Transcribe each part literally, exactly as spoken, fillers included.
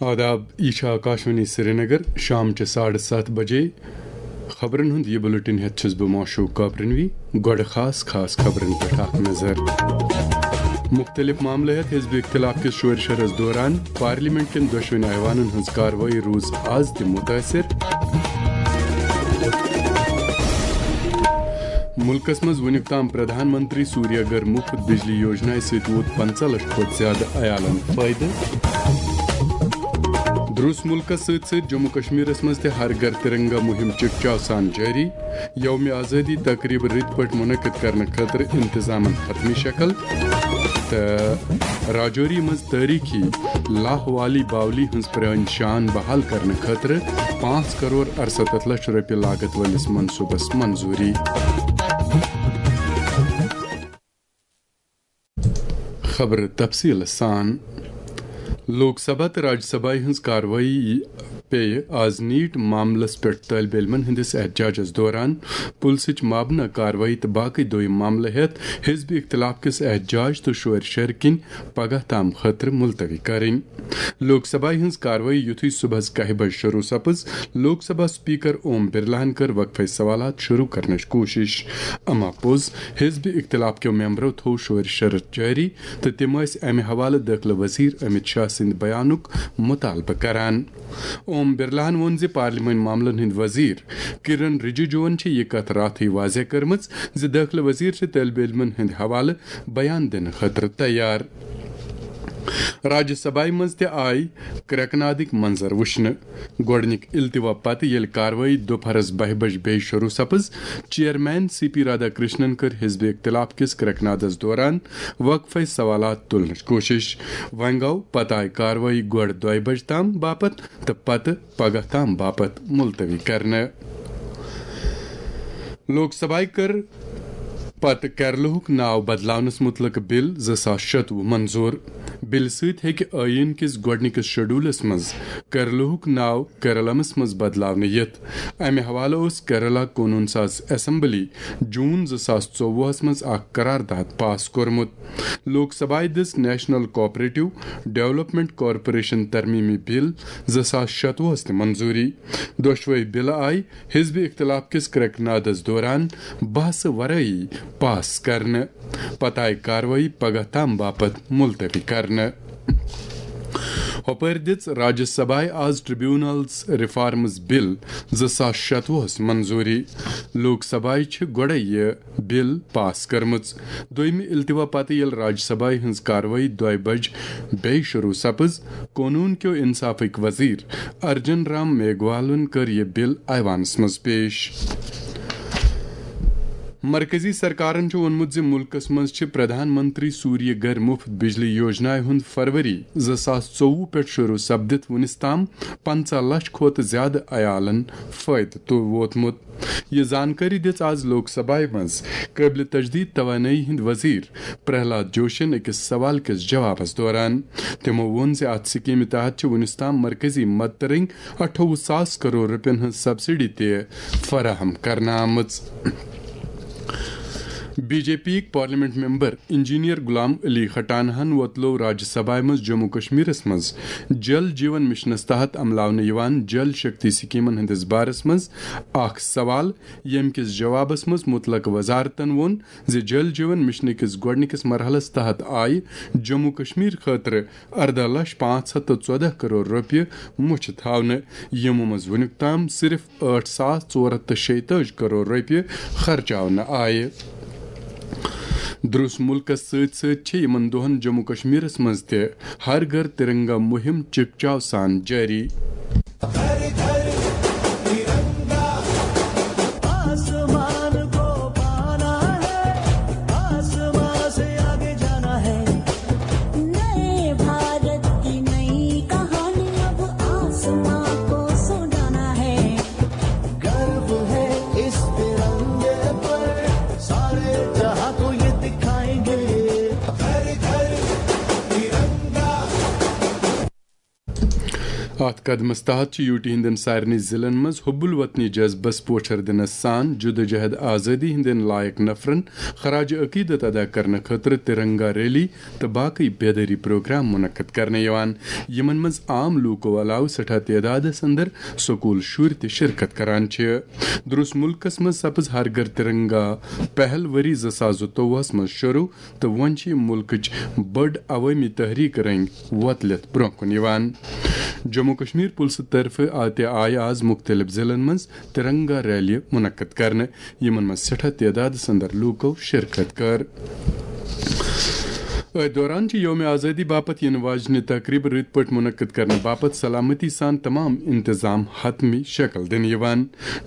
آداب، یہِ چھِ آکاشوانی سرینگر، شام چہِ ساڑٕ ستھ بجے۔ خبرن ہُنٛد یہِ بُلٹن ہٮ۪تھ چھُس بہٕ معشوق کاپرنوی۔ گۄڈٕ خاص خاص خبرن پٮ۪ٹھ اکھ نظر۔ مُختٔلِف معاملہٕ ہٮ۪تھ حزب اختلاف کِس شورِ شرس دوران پارلیمنٹ کٮ۪ن دۄشوٕنی ایوانن ہٕنٛز کاروٲیی روٗز از تہِ مُتٲثِر۔ مُلکس منٛز وُنیُک تام پرٛدھان منتری سوٗریہ گھر مُفت بجلی یوجنایہِ سۭتۍ ووت پنٛژاہ لچھ کھۄتہٕ زیادٕ عیالن فٲیدٕ۔ درٛوس مُلکس سۭتۍ سۭتۍ جموں کشمیرس منٛز تہِ ہر گھر ترنگا مُہِم چکچاو سان جٲری۔ یوم آزٲدی تقریٖبہٕ رٕتۍ پٲٹھۍ مُنعقد کرنہٕ خٲطرٕ انتظامن حتمی شکل۔ تہٕ راجوری منٛز تٲریٖخی لاہ والی باولی ہٕنٛز پرٛٲنۍ شان بحال کرنہٕ خٲطرٕ پانٛژھ کرور ارستتھ لچھ رۄپیہِ لاگت وٲلِس منصوٗبس منظوٗری۔ خبرٕ تفصیٖل سان۔ لوک سبھا تہٕ راجیہ سبھایہِ ہٕنٛز کاروٲیی پیٚیہِ آز نیٖٹ معاملس پٮ۪ٹھ طٲلبہِ علمن ہٕنٛدِس احتجاجس دوران پُلسٕچ مابنہ کاروٲیی تہٕ باقٕے دوٚیِم معاملہٕ ہٮ۪تھ حزب اختلاف کِس احتجاج تہٕ شورِ شرِ کِنۍ پگاہ تام خٲطرٕ ملتوی کرٕنۍ۔ لوک سبھایہِ ہٕنٛز کاروٲیی یُتھُے صُبحس کاہہِ بجہِ شروع سپٕز، لوک سبھا سپیکر اوم برلاہن کٔر وقفے سوالات شروع کرنٕچ کوٗشش۔ اما پوٚز، حزب اختلاف کیو ممبرو تھوو شورِ شرط جٲری تہٕ تِم ٲسۍ امہِ حوالہٕ دٲخلہٕ وزیر امت شاہ سٕنٛدِ بیانُک مطالبہٕ کران۔ اوم برلاہن ووٚن زِ پارلیمانی معاملن ہٕنٛدۍ وزیر کرن رجیجوَن چھِ یہِ کتھ راتھٕے واضح کٔرمٕژ زِ دٲخلہٕ وزیر چھِ طٲلبہِ علمن ہٕنٛدِ حوالہٕ بیان دِنہٕ خٲطرٕ تیار۔ راجیہ سبھایہ منٛز تہِ آیہِ کرٛٮ۪کہٕ نادٕکۍ منظر وٕچھنہٕ۔ گۄڈٕنِکۍ التوا پتہٕ ییٚلہِ کاروٲیی دُپہرس بَہہِ بجہِ بیٚیہِ شروع سپٕز، chairman C P Radhakrishnan کٔر حزب اختلاف کِس کرٛٮ۪کہٕ نادس دوران وقفے سوالات تُلنٕچ کوٗشش۔ وۄنۍ گوٚو پتہٕ آیہِ کاروٲیی گۄڈٕ دۄیہِ بجہِ تام باپتھ تہٕ پتہٕ پگاہ تام باپتھ ملتوی کرنہٕ۔ لوک سبھایہ کٔر پتہٕ کیرلہُک ناو بدلاونس مُتعلق بل زٕ ساس شتوُہ منظور۔ بلہِ سۭتۍ ہیٚکہِ ٲییٖن کِس گۄڈٕنِکِس شیڈولس منٛز کیرلہُک ناو کیرلمس منٛز بدلاونہٕ یِتھ۔ امہِ حوالہٕ اوس کیرلا قونوٗن ساز اسمبلی جون زٕ ساس ژوٚوُہس منٛز اکھ قرارداد پاس کوٚرمُت۔ لوک سبھایہ دِژ نیشنل کوآپریٹو ڈیولپمنٹ کارپوریشن ترمیمی بل زٕ ساس شتوُہس تہِ منظوٗری۔ دۄشوے بلہٕ آیہِ حزب اختلاف کِس کرٛٮ۪کہٕ نادس دوران بحثہٕ ورٲیی پاس کرنہٕ۔ پتہٕ آیہِ کاروٲیی پگاہ تام باپتھ ملتوی کرنہٕ۔ ہۄپٲرۍ دِژ راجیہ سبھایہ آز ٹریبیونلز ریفارمز بل زٕ ساس شتوُہس منظوٗری۔ لوک سبھایہ چھِ گۄڈے یہِ بل پاس کٔرمٕژ۔ دوٚیمہِ التوا پتہٕ ییٚلہِ راجیہ سبھایہ ہٕنٛز کاروٲیی دۄیہِ بجہِ بیٚیہِ شروع سپٕز، قونوٗن کیو انصافٕکۍ وزیر ارجن رام میگوالن کٔر یہِ بل ایوانس منٛز پیش۔ مرکزی سرکارن چھُ ووٚنمُت زِ مُلکس منٛز چھِ پرٛدھان منتری سوٗریہ گھر مُفت بجلی یوجنایہِ ہُنٛد فروری زٕ ساس ژوٚوُہ پٮ۪ٹھ شروع سپدِتھ وُنِس تام پنٛژاہ لچھ کھۄتہٕ زیادٕ عیالن فٲیدٕ تُل ووتمُت۔ یہِ زانکٲری دِژ آز لوک سبھایہ منٛز قٲبلِ تجدید توانٲیی ہٕنٛدۍ وزیر پرہلاد جوشین أکِس سوال کِس جوابس دوران۔ تِمو ووٚن زِ اتھ سکیمہِ تحت چھِ وُنِس تام مرکزی مدتہٕ رٔنگۍ اَٹھووُہ ساس کرور رۄپین ہٕنٛز سبسڈی تہِ فراہم کرنہٕ آمٕژ۔ بی جے پی یِکۍ parliament member engineer Ghulam Ali خٹانہن وۄتلوو راجیہ سبھایہ منٛز جموں کشمیرس منٛز جل جیون مشنس تحت عملاونہٕ یِوان جل شکتی سکیمن ہٕنٛدِس بارس منٛز اکھ سوال، ییٚمہِ کِس جوابس منٛز مُتعلقہٕ وزارتن ووٚن زِ جل جیون مشنہٕ کِس گۄڈٕنِکِس مرحلس تحت آیہِ جموں کشمیر خٲطرٕ ارداہ لچھ پانٛژھ ہتھ تہٕ ژۄداہ کرور رۄپیہِ مُچھِ تھاونہٕ، یِمو منٛز وُنیُک تام صرف ٲٹھ ساس ژور ہتھ تہٕ شیٚیہِ تٲجی کرور رۄپیہِ خرچاونہٕ آیہِ۔ درٛوس مُلکس سۭتۍ سۭتۍ چھِ یِمن دۄہن جموں کشمیرس منٛز تہِ ہر گھر ترنگا مُہِم چکچاو سان جٲری۔ اتھ قدمس تحت چھِ یوٗ ٹی ہٕنٛدٮ۪ن سارنٕے ضلعن منٛز حب الوطنی جذبس پوچھر دِنس سان جدوجہد آزٲدی ہٕنٛدٮ۪ن لایق نفرن خراج عقیدت ادا کرنہٕ خٲطرٕ ترنگا ریلی تہٕ باقٕے بیدٲری پروگرام منعقد کرنہٕ یِوان، یِمن منٛز عام لوٗکو علاوٕ سٮ۪ٹھاہ تعدادس اندر سکوٗل شُرۍ تہِ شرکت کران چھِ۔ درٛوس مُلکس منٛز سپٕز ہر گھر ترنگا پہل ؤری زٕ ساس زٕتووُہس منٛز شروع، تہٕ وۄنۍ چھِ یہِ مُلکٕچ بٔڑ عوٲمی تحریٖک رٔنٛگۍ وۄتلِتھ برٛونٛہہ کُن یِوان۔ جموں کشمیر پُلسہٕ طرفہٕ آ-، تہِ آیہِ آز مُختٔلِف ضلعن منٛز ترنگا ریلی منعقد کرنہٕ، یِمن منٛز سٮ۪ٹھاہ تعدادس اندر لوٗکو شرکت کٔر۔ أتھۍ دوران چھِ یوم آزٲدی باپتھ یِنہٕ واجنہِ تقریٖبہٕ رٕتۍ پٲٹھۍ منعقد کرنہٕ باپتھ سلامتی سان تمام انتظام حتمی شکل دِنہٕ یِوان۔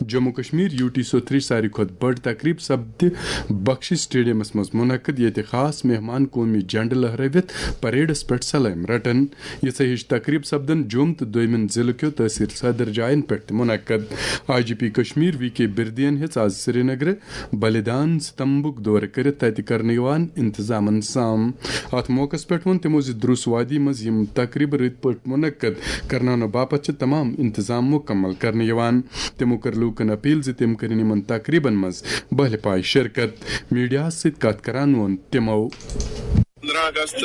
جموں کشمیر یوٗ ٹی سوٚتھرٕچ ساروی کھۄتہٕ بٔڑ تقریٖب سپدِ بخشی سٹیڈیمس منٛز منعقد، ییٚتہِ خاص مہمان قومی جھنڈٕ لہرٲوِتھ پریڈس پٮ۪ٹھ سلٲمۍ رٹن۔ یِژھے ہِش تقریٖب سپدن جوٚم تہٕ دوٚیمٮ۪ن ضلعہٕ کیو تحصیل صدر جاین پٮ۪ٹھ تہِ منعقد۔ I G P Kashmir V K بردین ہیٚژ آز سرینگرٕ بلدان ستمبُک دورٕ کٔرِتھ تتہِ کرنہٕ یِوان انتظامن سام۔ اتھ موقعس پٮ۪ٹھ ووٚن تِمو زِ درُس وادی منٛز یِم تقریٖبہٕ رٕتۍ پٲٹھۍ منعقد کرناونہٕ باپتھ چھِ تمام انتظام مکمل کرنہٕ یِوان۔ تِمو کٔر لوٗکن اپیل زِ تِم کٔرِن یِمن تقریٖبن منٛز بہلہِ پایہِ شرکت۔ میڈیاہس سۭتۍ کتھ کران ووٚن تِمو۔ پندرہ اگست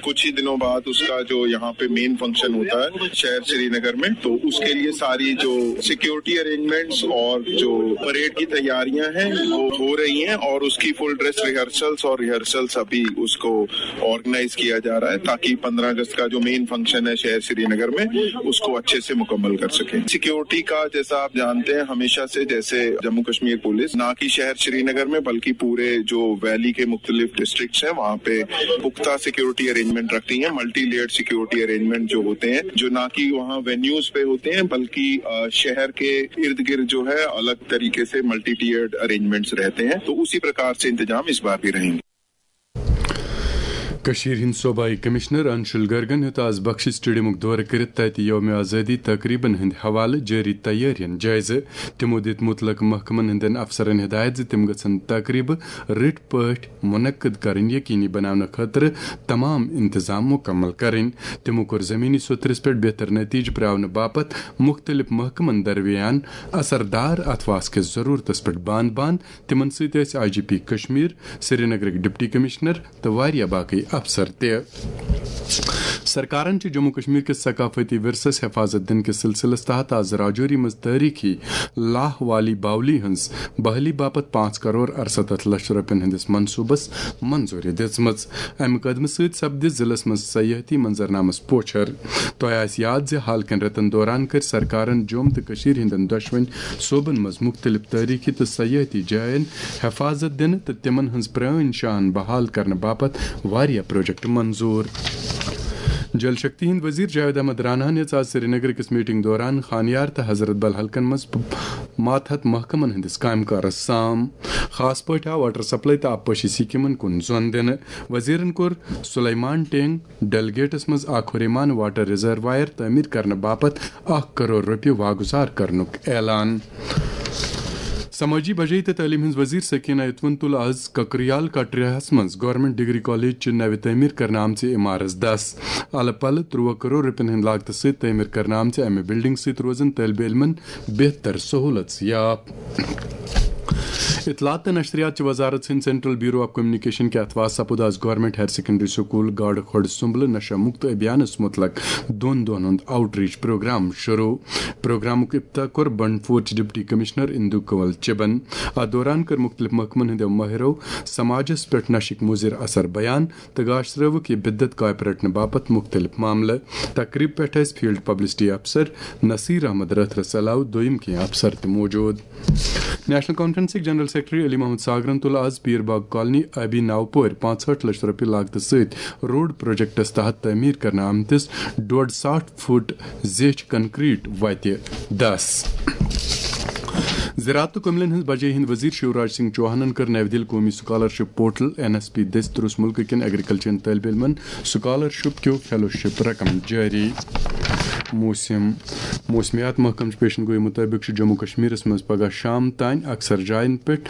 کچھ ہی دنوں بعد اس کا جو یہاں پہ مین فنکشن ہوتا ہے شہر سری نگر میں، تو اس کے لیے ساری جو سیکیورٹی ارینجمنٹس اور جو پریڈ کی تیاریاں ہیں وہ ہو رہی ہیں، اور اس کی فل ڈریس ریہرسلس اور ریہرسلس ابھی اس کو آرگنائز کیا جا رہا ہے، تاکہ پندرہ اگست کا جو مین فنکشن ہے شہر سری نگر میں، اس کو اچھے سے مکمل کر سکیں۔ سیکیورٹی کا، جیسا آپ جانتے ہیں، ہمیشہ سے جیسے جموں کشمیر پولیس نہ کہ شہر سری نگر میں بلکہ پورے جو ویلی کے مختلف ڈسٹرکٹس ہیں وہاں پہ پختہ سیکیورٹی ارینجمنٹ رکھتی ہیں، ملٹی لیئرڈ سیکیورٹی ارینجمنٹ جو ہوتے ہیں، جو نہ کہ وہاں وینیوز پہ ہوتے ہیں بلکہ آ، شہر کے ارد گرد جو ہے الگ طریقے سے ملٹی لیئرڈ ارینجمنٹس رہتے ہیں، تو اسی پرکار سے انتظام اس بار بھی رہیں گے۔ کٔشیٖرِ ہٕنٛدۍ صوبائی کمشنر انشول گرگن ہیوٚت آز بخشی سٹیڈیمُک دورٕ کٔرِتھ تتہِ یوم آزٲدی تقریبن ہٕنٛدِ حوالہٕ جٲری تیٲرین جٲیزٕ۔ تِمو دِتۍ مُتلقہٕ محکمن ہٕنٛدٮ۪ن افسرن ہدایت زِ تِم گژھن تقریبہٕ رٕتۍ پٲٹھۍ منعقد کرٕنۍ یقینی بناونہٕ خٲطرٕ تمام انتظام مکمل کرٕنۍ۔ تِمو کوٚر زمینی سوٚتھرِس پٮ۪ٹھ بہتر نتیجہٕ پراونہٕ باپتھ مُختٔلِف محکمن درمیان اثردار اتھواس کِس ضروٗرتس پٮ۪ٹھ بان بان۔ تِمن سۭتۍ ٲسۍ آئی جی پی کشمیر، سرینگرٕکۍ ڈپٹی کمشنر تہٕ واریاہ باقٕے افسر تہِ۔ سرکارن چھِ جموں کشمیر کِس ثقافتی ورثس حفاظت دِنہٕ کِس سلسلس تحت آز راجوری منٛز تٲریخی لاہ والی باولی ہٕنٛز بحالی باپتھ پانٛژھ کرور ارستتھ لچھ رۄپین ہٕنٛدِس منصوبس منظوری دِژمٕژ۔ امہِ قدمہٕ سۭتۍ سپدِ ضلعس منٛز سیاحتی منظرنامس پوچھر۔ تۄہہِ آسہِ یاد زِ حالکٮ۪ن رٮ۪تن دوران کٔرۍ سرکارن جوٚم تہٕ کٔشیٖرِ ہٕنٛدٮ۪ن دۄشوٕنۍ صوبن منٛز مُختٔلِف تٲریٖخی تہٕ سیٲحتی جاین حفاظت دِنہٕ تہٕ تِمن ہٕنٛز پرٛٲنۍ شان بحال کرنہٕ باپتھ واریاہ پروجیکٹ منظوٗر۔ جل شکتی ہٕنٛدۍ وزیر جاوید احمد راناہن ہیٚژ آز سرینگر أکِس میٹنگ دوران خانیار تہٕ حضرت بل حلقن منٛز پ-، ماتحت محکمن ہٕنٛدِس کامہِ کارس سام۔ خاص پٲٹھۍ آو واٹر سپلائی تہٕ آبپاشی سکیمن کُن زۄن دِنہٕ۔ وزیرن کوٚر سلیمان ٹینگ ڈیلگیٹس منٛز اکھ ہُریمان واٹر ریزروائر تعمیر کرنہٕ باپتھ اکھ کرور رۄپیہِ واگُزار کرنُک اعلان۔ سمٲجی بجٲیی تہٕ تعلیٖم ہٕنٛز وزیر سکینہ اتوَن تُل آز ککریال کٹریاہس منٛز گورنمنٹ ڈگری کالج چہِ نوِ تعمیر کرنہٕ آمژِ عمارژ دس۔ الہٕ پلہٕ ترٛوہ کرور رۄپین ہٕنٛدِ لاگتہٕ سۭتۍ تعمیر کرنہٕ آمژِ امہِ بلڈنگ سۭتۍ روزن طٲلبہِ علمن بہتر سہولژ یاب۔ اطلاعات تہٕ نشریات چہِ وزارت سٕنٛدِ سینٹرل بیورو آف کمیونیکیشن کہِ اتھواسہٕ سپُد آز گورنمنٹ ہائر سیکنڈری سکول گاڈٕ کھۄڈ سُمبلہٕ نشہ مکت ابھیانس متعلق دۄن دۄہن ہُنٛد آؤٹ ریچ پروگرام شروع۔ پروگرامُک افتتاح کوٚر بنڈپورچ ڈپٹی کمشنر اندو کنول چبن۔ اتھ دوران کٔر مُختٔلِف محکمن ہٕنٛدیو مٲہرو سماجس پٮ۪ٹھ نشٕکۍ مُضر اثر بیان تہٕ گاشرٲوٕکھ یہِ بدعت کاپہِ رٹنہٕ باپتھ مُختٔلِف معاملہٕ۔ تقریب پٮ۪ٹھ ٲسۍ فیلڈ پبلسٹی افسر نصیر احمد رٲتھرس علاوٕ دوٚیِم کینٛہہ افسر تہِ موجود۔ نیشنل کانفرنسٕکۍ جنرل سیکرٹری علی محمد ساگرن تُل آز پیٖر باغ کالنی آبی ناوپورِ پانٛژہٲٹھ لچھ رۄپیہِ لاگتہٕ سۭتۍ روڈ پروجیکٹس تحت تعمیٖر کرنہٕ آمتِس ڈۄڈ ساٹھ فُٹ زیچھِ کنکریٹ وتہِ دس۔ زراعت تہٕ کٔملن ہٕنٛز بجٲیی ہٕنٛدۍ وزیر شیوراج سنگھ چوہانن کٔر نَوِ دِلہِ قومی scholarship portal N S P دٔسۍ ترُس مُلکہٕ کٮ۪ن ایگریکلچرن طٲلبہِ علمن سکالرشپ کیو فیلوشپ رقم جٲری۔ موسم۔ موسمیات محکمہٕ چہِ پیشن گویی مُطٲبِق چھُ جموں کشمیرس منٛز پگہہ شام تام اکثر جاین پٮ۪ٹھ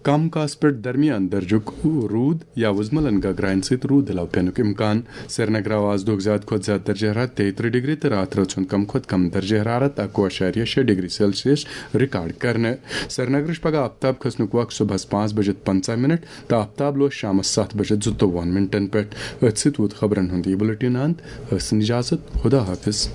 کم کاسہٕ پٮ۪ٹھ درمیان درجُک روٗد یا وُزملن گگراین سۭتۍ روٗد علاوٕ پینُک امکان۔ سرینگر آو آز دۄہُک زیادٕ کھۄتہٕ زیادٕ درجہ حرارت تیٚیہِ ترٕٛہ ڈگری تہٕ راتھ رٲژ ہُنٛد کم کھۄتہٕ کم درجہ حرارت اکوُہ اعشاریہ شےٚ ڈگری سیلسیس ریکارڈ کرنہٕ۔ سرینگرٕچ پگہہ آفتاب کھسنُک وق صبحس پانٛژھ بجے پنٛژاہ منٹ تہٕ آفتاب لوس شامس ستھ بجے زٕتووُہن منٹن پٮ۪ٹھ۔ أتھۍ سۭتۍ ووت خبرن ہُنٛد یہِ بُلٹن اند۔ ٲسِن اجازت، خدا حافظ۔